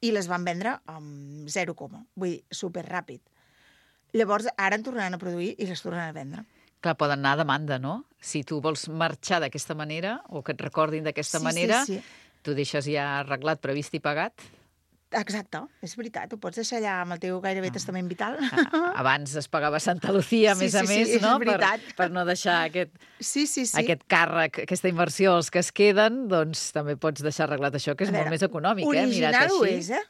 i les van vendre amb zero coma. Vull dir, superràpid. Llavors, ara en tornaran a produir i les tornaran a vendre. Clar, poden anar a demanda, no? Si tu vols marxar d'aquesta manera, o que et recordin d'aquesta Sí, sí, manera, sí. tu deixes ja arreglat, previst i pagat. Exacte, és veritat. Ho pots deixar allà amb el teu gairebé testament vital. Ah, abans es pagava Santa Lucía, a Sí, més a sí, sí, més, és no? Per, veritat. per no deixar aquest, Sí, sí, sí. aquest càrrec, aquesta inversió als que es queden, doncs també pots deixar arreglat això, que és A molt veure, més econòmic, eh? Mirat original ho així. és, eh?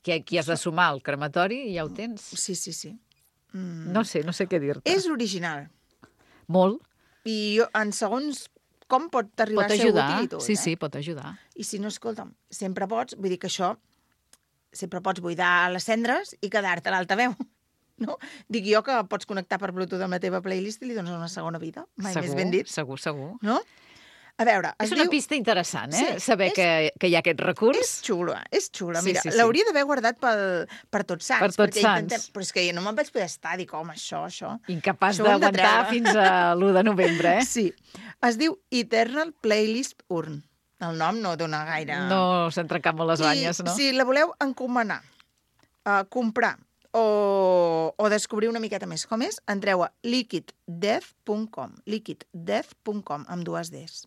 Qui, qui has de sumar al crematori i ja ho tens. Sí, sí, sí. Mm. No sé, no sé què dir-te. És original. Molt. I jo, en segons com pot arribar Pot a ser ajudar. útil i tot. Sí, eh? sí, pot ajudar. I si no, escolta'm, sempre pots, vull dir que això, sempre pots buidar les cendres i quedar-te a l'altaveu. No? Dic jo que pots connectar per Bluetooth amb la teva playlist i li dones una segona vida. Mai segur, més ben dit. segur, segur. No? A veure, es És una diu... pista interessant, eh? Sí, Saber és- que, que hi ha aquest recurs. És xula, és xula. Sí, Mira, sí, sí. l'hauria d'haver guardat pel, per Tots Sants. Per Tots perquè intentem- Sants. Però és que no me'n vaig poder estar, dic, home, això, això... Incapaç Això ho hem de d'aguantar treure. fins a l'u de novembre, eh? Sí. Es diu Eternal Playlist Urn. El nom no dona gaire... No s'han trencat molt les banyes, no? I si la voleu encomanar, uh, comprar o, o descobrir una miqueta més com és, entreu a liquid death punt com. liquid death punt com, amb dues Ds.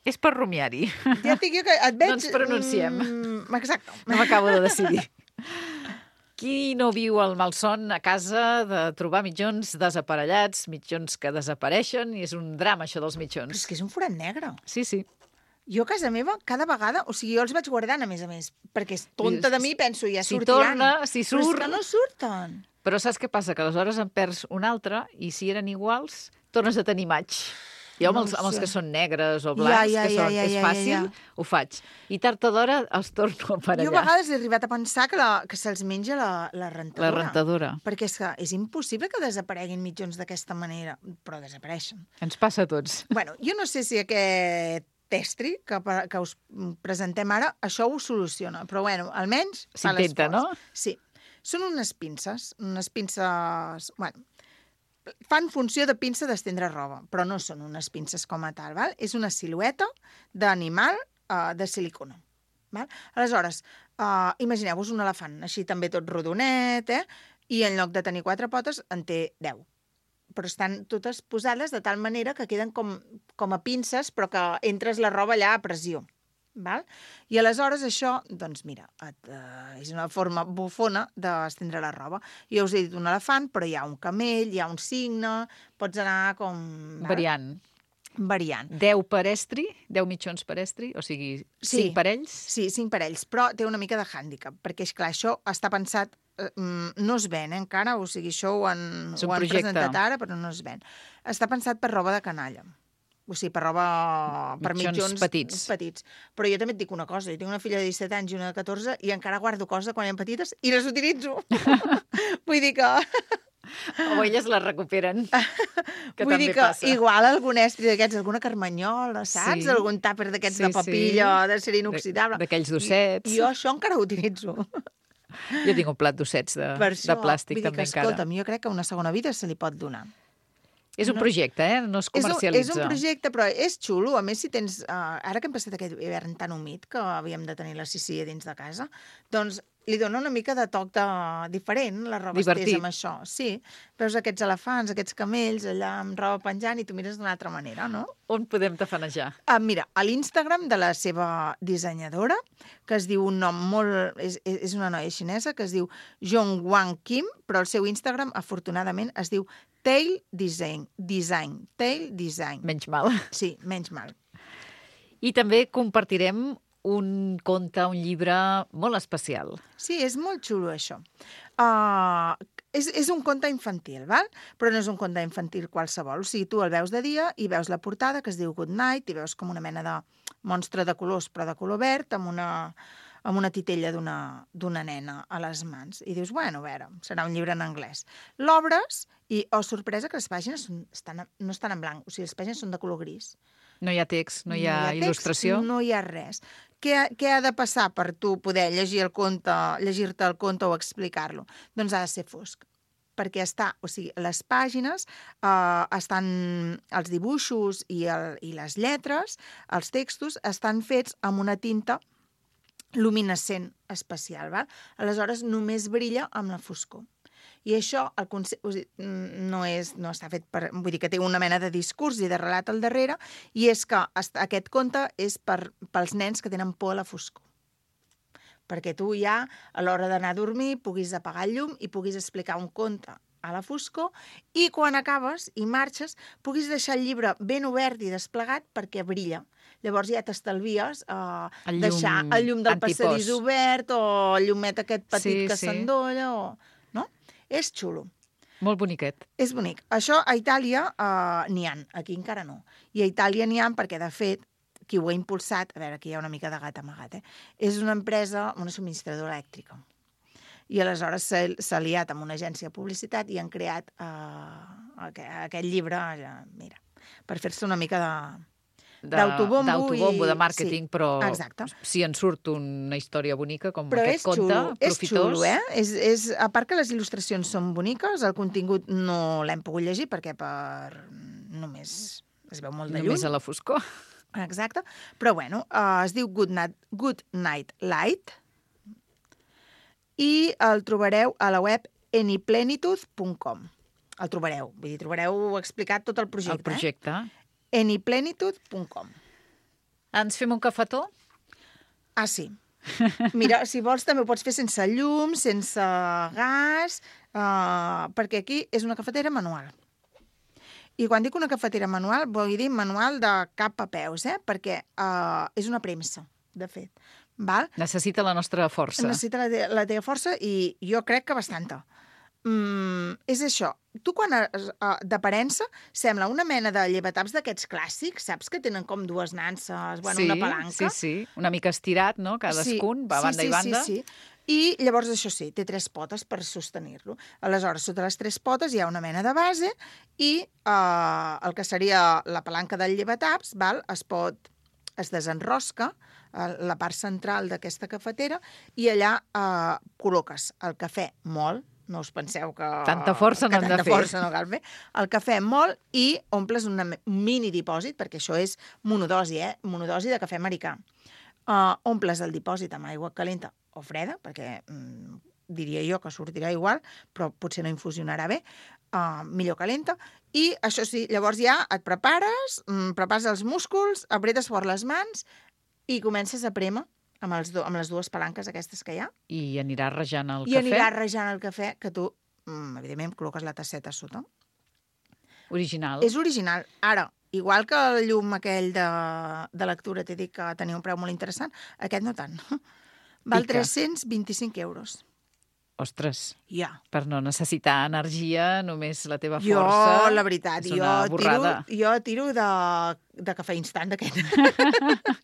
És per rumiar-hi. Ja et dic jo que et veig... No ens pronunciem. Mm, exacte. No m'acabo de decidir. Qui no viu el malson a casa de trobar mitjons desaparellats, mitjons que desapareixen, i és un drama, això dels Però mitjons. és que és un forat negre. Sí, sí. Jo a casa meva, cada vegada... O sigui, jo els vaig guardant, a més a més, perquè és tonta de mi, penso, ja Si sortiran. torna, si Però és surt... que no surten. Però saps què passa? Que aleshores en perds un altre, i si eren iguals, tornes a tenir maig. Jo amb, No els, ho amb els sé. que són negres o Ja, blancs, ja, que ja, són, ja, és ja, fàcil, ja, ja. ho faig. I tard o d'hora els torno per Jo a allà. vegades he arribat a pensar que, la, que se'ls menja la, la rentadora. La rentadora. Perquè és que és impossible que desapareguin mitjons d'aquesta manera, però desapareixen. Ens passa a tots. Bueno, jo no sé si aquest testri que, pa- que us presentem ara, això ho soluciona, però bueno, almenys fa S'intenta, l'esforç. no? Sí. Són unes pinces, unes pinces... Bueno, fan funció de pinça d'estendre roba, però no són unes pinces com a tal, val? És una silueta d'animal uh, de silicona. Val? Aleshores, uh, imagineu-vos un elefant, així també tot rodonet, eh? I en lloc de tenir quatre potes en té deu. Però estan totes posades de tal manera que queden com, com a pinces, però que entres la roba allà a pressió. Val? I aleshores això, doncs mira, et, uh, és una forma bufona d'estendre la roba. Jo us he dit un elefant, però hi ha un camell, hi ha un cigne, pots anar com... Val? Variant. Variant. deu per estri, deu mitjons per estri, o sigui, Sí. cinc parells. Sí, cinc parells, però té una mica de hàndicap, perquè, esclar, això està pensat, eh, no es ven eh, encara, o sigui, això ho han, És un ho han projecte. presentat ara, però no es ven. Està pensat per roba de canalla. O sigui, per roba... per Mitjons mitjons petits. petits. Però jo també et dic una cosa, jo tinc una filla de disset anys i una de catorze i encara guardo coses quan eren petites i les utilitzo. Vull dir que... O elles les recuperen, que Vull també dir que passa. igual algun estri d'aquests, alguna carmanyola, saps? Sí. Algun tàper d'aquests Sí, de papilla, sí. de ser inoxidable. De- d'aquells dossets. I, jo això encara ho utilitzo. Jo tinc un plat d'ossets de, Per de plàstic vull dir també que, encara. escolta'm, jo crec que una segona vida se li pot donar. És un no- projecte, eh? No es És un, comercialitza. és un projecte, però és xulo. A més, si tens... Uh, ara que hem passat aquest hivern tan humit que havíem de tenir la sissia dins de casa, doncs li dona una mica de toc de... diferent, la roba Divertit. estesa amb això. Sí, veus aquests elefants, aquests camells allà amb roba penjant i tu mires d'una altra manera, no? On podem tafanejar? Ah, mira, a l'Instagram de la seva dissenyadora, que es diu un nom molt... És, és una noia xinesa que es diu Jongwang Kim, però el seu Instagram, afortunadament, es diu Tail Design. Design. Tail Design. Menys mal. Sí, menys mal. I també compartirem un conte, un llibre molt especial. Sí, és molt xulo, això. Uh, és, és un conte infantil, val? Però no és un conte infantil qualsevol. O sigui, tu el veus de dia i veus la portada, que es diu Good Night, i veus com una mena de monstre de colors, però de color verd, amb una, amb una titella d'una d'una nena a les mans. I dius, bueno, a veure, serà un llibre en anglès. L'obres i, oh, sorpresa, que les pàgines són, estan, no estan en blanc, o sigui, les pàgines són de color gris. No hi ha text, no hi ha, text, il·lustració. No hi ha res. Què, què ha de passar per tu poder llegir el conte, llegir-te el conte o explicar-lo? Doncs ha de ser fosc. Perquè està, o sigui, les pàgines eh, estan, els dibuixos i, el, i les lletres, els textos, estan fets amb una tinta luminescent especial, val? Aleshores només brilla amb la foscor. I això el conce... o sigui, no, és, no està fet per... Vull dir que té una mena de discurs i de relat al darrere, i és que aquest conte és per, pels nens que tenen por a la foscor. Perquè tu ja, a l'hora d'anar a dormir, puguis apagar el llum i puguis explicar un conte a la foscor, i quan acabes i marxes, puguis deixar el llibre ben obert i desplegat perquè brilla. Llavors ja t'estalvies eh, El llum deixar el llum del antipòs. passadís obert o el llumet aquest petit Sí, que sí. s'endolla o... No? És xulo. Molt boniquet. És bonic. Això a Itàlia uh, n'hi ha, aquí encara no. I a Itàlia n'hi ha perquè, de fet, qui ho ha impulsat, a veure, aquí hi ha una mica de gat amagat, eh? És una empresa, una subministradora elèctrica. I aleshores s'ha aliat amb una agència de publicitat i han creat uh, aquest, aquest llibre, ja, mira, per fer-se una mica de... De- d'autobombo d'autobombo, i- de màrqueting, sí, però exacte. si en surt una història bonica com Però aquest és conte, xulo, és profitós... xulo, eh? És, és, a part que les il·lustracions són boniques, el contingut no l'hem pogut llegir perquè per només es veu molt de lluny. Només a la foscor. Exacte. Però, bueno, uh, es diu Good Night, Good Night Light i el trobareu a la web anyplenitude punt com. El trobareu, vull dir, trobareu explicat tot el projecte. El projecte. Eh? anyplenitude punt com. Ens fem un cafetó? Ah, sí. Mira, si vols també ho pots fer sense llum, sense gas, uh, perquè aquí és una cafetera manual. I quan dic una cafetera manual, vull dir manual de cap a peus, eh? Perquè uh, és una premsa, de fet. Val? Necessita la nostra força. Necessita la, te la teva força i jo crec que bastanta. Mm, és això. Tu, quan uh, d'aparença, sembla una mena de llevataps d'aquests clàssics, saps? Que tenen com dues nanses, bueno, sí, una palanca. Sí, sí, una mica estirat, no? Cadascun, sí, va a banda sí, i banda. Sí, sí, sí. I llavors, això sí, té tres potes per sostenir-lo. Aleshores, sota les tres potes hi ha una mena de base i uh, el que seria la palanca del llevataps, val? Es pot es desenrosca la part central d'aquesta cafetera i allà eh, col·loques el cafè molt, no us penseu que... Tanta força no hem de fer. Tanta força no cal fer. El cafè molt i omples una, un mini dipòsit, perquè això és monodosi, eh? Monodosi de cafè americà. Uh, omples el dipòsit amb aigua calenta o freda, perquè mm, diria jo que sortirà igual, però potser no infusionarà bé, uh, millor calenta. I això sí, llavors ja et prepares, mm, prepares els músculs, apretes fort les mans i comences a prémer amb, els do, amb les dues palanques aquestes que hi ha. I anirà rejant el I cafè? I anirà rejant el cafè, que tu, mm, evidentment, col·loques la tasseta a sota. Original. És original. Ara, igual que el llum aquell de, de lectura t'he dit que tenia un preu molt interessant, aquest no tant. Val Pica. tres-cents vint-i-cinc euros. Ostres, Ja. per no necessitar energia, només la teva Jo, força... la veritat, és jo una tiro, borrada. jo tiro de, de cafè instant d'aquest.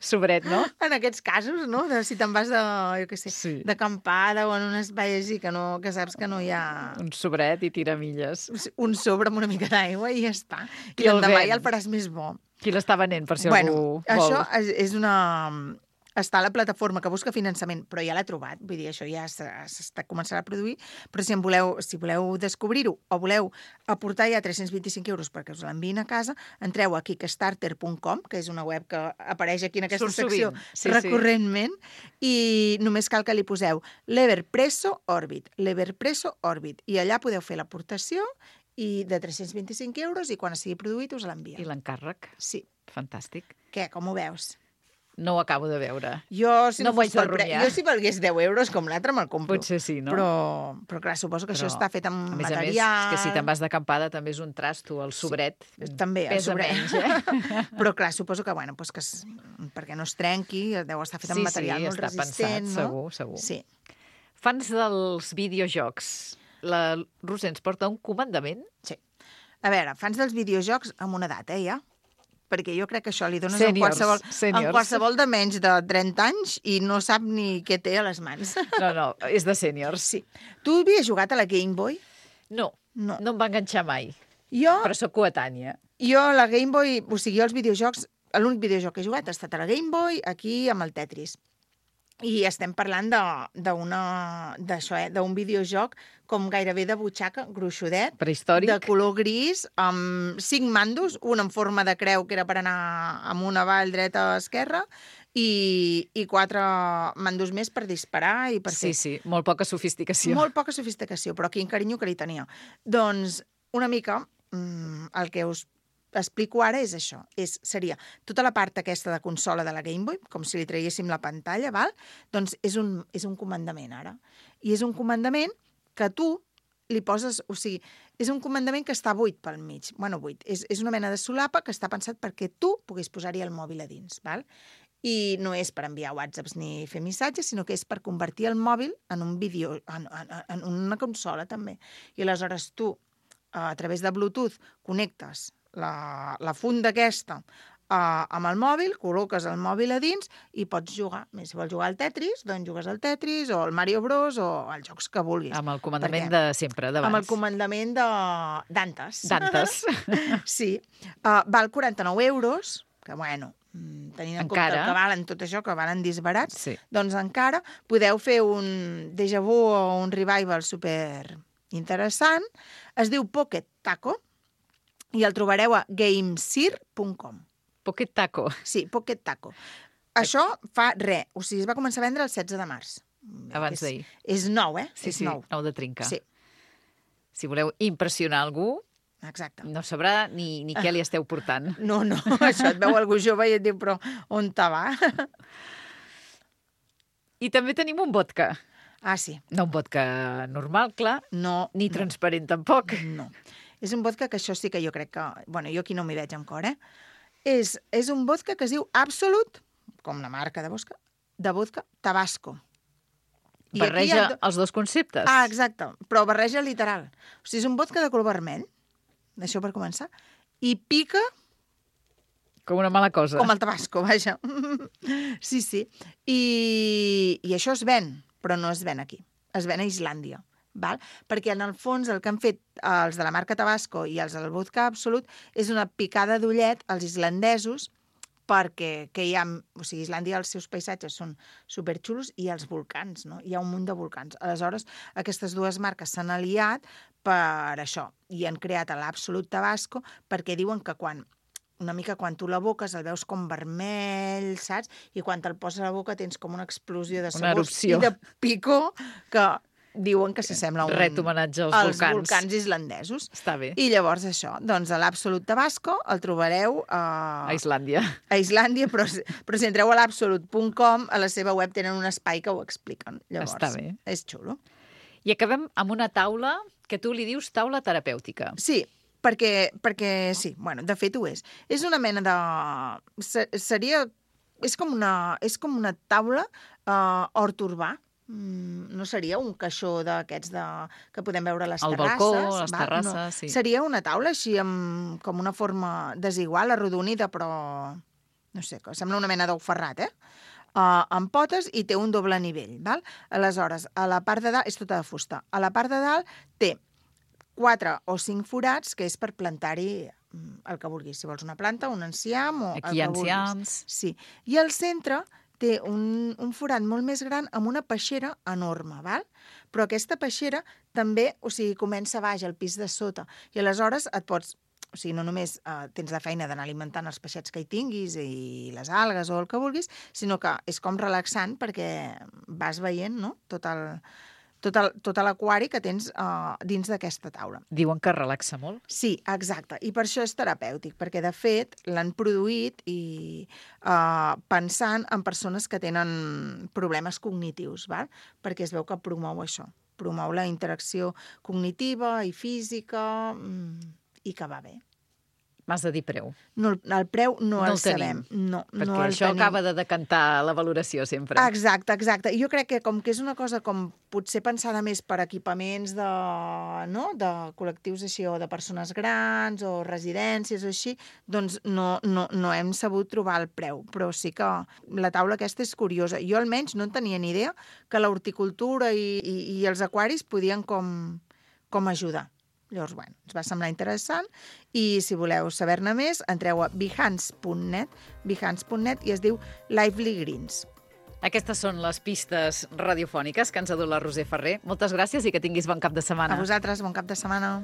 Sobret, no? En aquests casos, no? De, si te'n vas de, jo què sé, Sí. d'acampada o en un espai així que, no, que saps que no hi ha Un sobret i tiramilles. un sobre amb una mica d'aigua i ja està. I, I el l'endemà vent. ja el faràs més bo. Qui l'està venent, per si bueno, algú vol? això és, és una... Està a la plataforma que busca finançament, però ja l'ha trobat, vull dir, això ja s'està començant a produir, però si en voleu, si voleu descobrir-ho o voleu aportar ja tres-cents vint-i-cinc euros perquè us l'enviïn a casa, entreu a kickstarter punt com, que és una web que apareix aquí en aquesta Surt secció sovint, sí, recurrentment, i només cal que li poseu l'Everpresso Orbit, l'Everpresso Orbit, i allà podeu fer l'aportació i de tres-cents vint-i-cinc euros i quan sigui produït us l'envien. I l'encàrrec? Sí. Fantàstic. Què, com ho veus? No ho acabo de veure. Jo, si no no, m'ho fos haig de pel pre... rumiar. jo si valgués deu euros com l'altre me'l compro. Potser sí, no? Però, però clar, suposo que Però, això està fet amb a més material... A més, és que si te'n vas d'acampada també és un trasto, el sobret. Sí, també, el pesa sobret. menys, eh? Però clar, suposo que, bueno, pues que es... perquè no es trenqui, deu estar fet amb sí, material sí, molt està resistent, pensat, no? segur, segur. Sí. Fans dels videojocs. La Roser ens porta un comandament? Sí. A veure, fans dels videojocs amb una edat, eh, ja? Perquè jo crec que això li dones Seniors, en qualsevol, seniors. en qualsevol de menys de trenta anys i no sap ni què té a les mans. No, no, és de sèniors. Sí. Tu havies jugat a la Game Boy? No, No. no em va enganxar mai, Jo, però sóc coetània. jo la Game Boy, o sigui, els videojocs, l'únic videojoc que he jugat ha estat a la Game Boy, aquí amb el Tetris. I estem parlant d'això, eh? D'un videojoc com gairebé de butxaca, gruixudet, Prehistòric. de color gris, amb cinc mandos, un en forma de creu, que era per anar amunt, avall, dreta, esquerra, i, i quatre mandos més per disparar i per Sí, fer. sí, molt poca sofisticació. Molt poca sofisticació, però quin carinyo que li tenia. Doncs, una mica, mm, el que us explico ara és això. És, seria tota la part aquesta de consola de la Game Boy, com si li traiéssim la pantalla, val? Doncs és un, és un comandament, ara. I és un comandament que tu li poses... O sigui, és un comandament que està buit pel mig. Bueno, buit. És, és una mena de solapa que està pensat perquè tu puguis posar-hi el mòbil a dins, val? I no és per enviar whatsapps ni fer missatges, sinó que és per convertir el mòbil en un vídeo, en, en, en una consola, també. I aleshores tu, a través de Bluetooth, connectes la, la funda aquesta uh, amb el mòbil, col·loques el mòbil a dins i pots jugar. Si vols jugar al Tetris, doncs jugues al Tetris o al Mario Bros o els jocs que vulguis. Amb el comandament Perquè- de sempre, d'abans. Amb el comandament de Dantes. Dantes. Sí. Uh, val quaranta-nou euros, que bueno, mm, tenint en compte Encara. el que valen tot això, que valen disbarats, Sí. doncs encara podeu fer un déjà vu o un revival super interessant. Es diu Pocket Taco i el trobareu a gamesir punt com. Pocket Taco. Sí, Pocket Taco. Això fa res. O sigui, es va començar a vendre el setze de març. Abans És- d'ahir. És nou, eh? Sí, és sí, nou. nou de trinca. Sí, Si voleu impressionar algú, exacte. no sabrà ni, ni què li esteu portant. No, no, això et veu algú jove i et diu, però on te va? I també tenim un vodka. Ah, sí. No un vodka normal, clar, No, ni transparent tampoc. no. És un vodka que això sí que jo crec que... Bueno, jo aquí no m'hi veig amb cor, eh? És, és un vodka que es diu Absolut, com la marca de vodka, de vodka Tabasco. I aquí Barreja hi ha do- els dos conceptes. Ah, exacte, però barreja literal. O sigui, és un vodka de color vermell, això per començar, i pica Com una mala cosa. com el Tabasco, vaja. Sí, sí. I, I això es ven, però no es ven aquí. Es ven a Islàndia. Val? Perquè en el fons el que han fet els de la marca Tabasco i els del vodka Absolut és una picada d'ullet als islandesos perquè que hi ha... O sigui, Islàndia, els seus paisatges són superxulos i els volcans, no? Hi ha un munt de volcans. Aleshores, aquestes dues marques s'han aliat per això i han creat l'Absolut Tabasco perquè diuen que quan una mica quan tu l'aboques el veus com vermell, saps? I quan te'l poses a la boca tens com una explosió de sabors i de picor que diuen que s'assembla a un... Ret homenatge als, als volcans. volcans islandesos. Està bé. I llavors això, doncs l'Absolut Tabasco el trobareu a... A Islàndia. A Islàndia, però, però si entreu a l'absolut punt com, a la seva web tenen un espai que ho expliquen. Llavors, està bé. És xulo. I acabem amb una taula que tu li dius taula terapèutica. Sí, perquè, perquè sí, bueno, de fet ho és. És una mena de... Seria... És com una, és com una taula uh, hort urbà. Mm, no seria un caixó d'aquests de... que podem veure a les el terrasses. El balcó, les va? terrasses, no. sí. Seria una taula així amb com una forma desigual, arrodonida, però no sé, que sembla una mena d'ou ferrat, eh? Uh, amb potes i té un doble nivell, val? Aleshores, a la part de dalt, és tota de fusta, a la part de dalt té quatre o cinc forats, que és per plantar-hi el que vulguis. Si vols una planta, un enciam o Aquí el que enciams. vulguis. Sí. I al centre té un, un forat molt més gran amb una peixera enorme, val? Però aquesta peixera també, o sigui, comença baix, al pis de sota. I aleshores et pots... O sigui, no només eh, tens la feina d'anar alimentant els peixets que hi tinguis i les algues o el que vulguis, sinó que és com relaxant perquè vas veient, no?, tot el... tot el, tot l'aquari que tens uh, dins d'aquesta taula. Diuen que relaxa molt. Sí, exacte. I per això és terapèutic, perquè, de fet, l'han produït i uh, pensant en persones que tenen problemes cognitius, val? Perquè es veu que promou això. Promou la interacció cognitiva i física mm, i que va bé. M'has de dir preu. No, el preu no, no el, el sabem. No, perquè no el això tenim. acaba de decantar la valoració sempre. Exacte, exacte. Jo crec que com que és una cosa com potser pensada més per equipaments de, no? de col·lectius així, o de persones grans, o residències o així, doncs no, no, no hem sabut trobar el preu. Però sí que la taula aquesta és curiosa. Jo almenys no en tenia ni idea que l'horticultura i, i, i els aquaris podien com, com ajudar. Llavors, bueno, ens va semblar interessant i si voleu saber-ne més, entreu a behance punt net, behance punt net i es diu Lively Greens. Aquestes són les pistes radiofòniques que ens ha dut la Roser Ferrer. Moltes gràcies i que tinguis bon cap de setmana. A vosaltres, bon cap de setmana.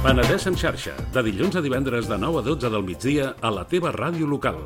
Penedès en xarxa, de dilluns a divendres de nou a dotze del migdia a la teva ràdio local.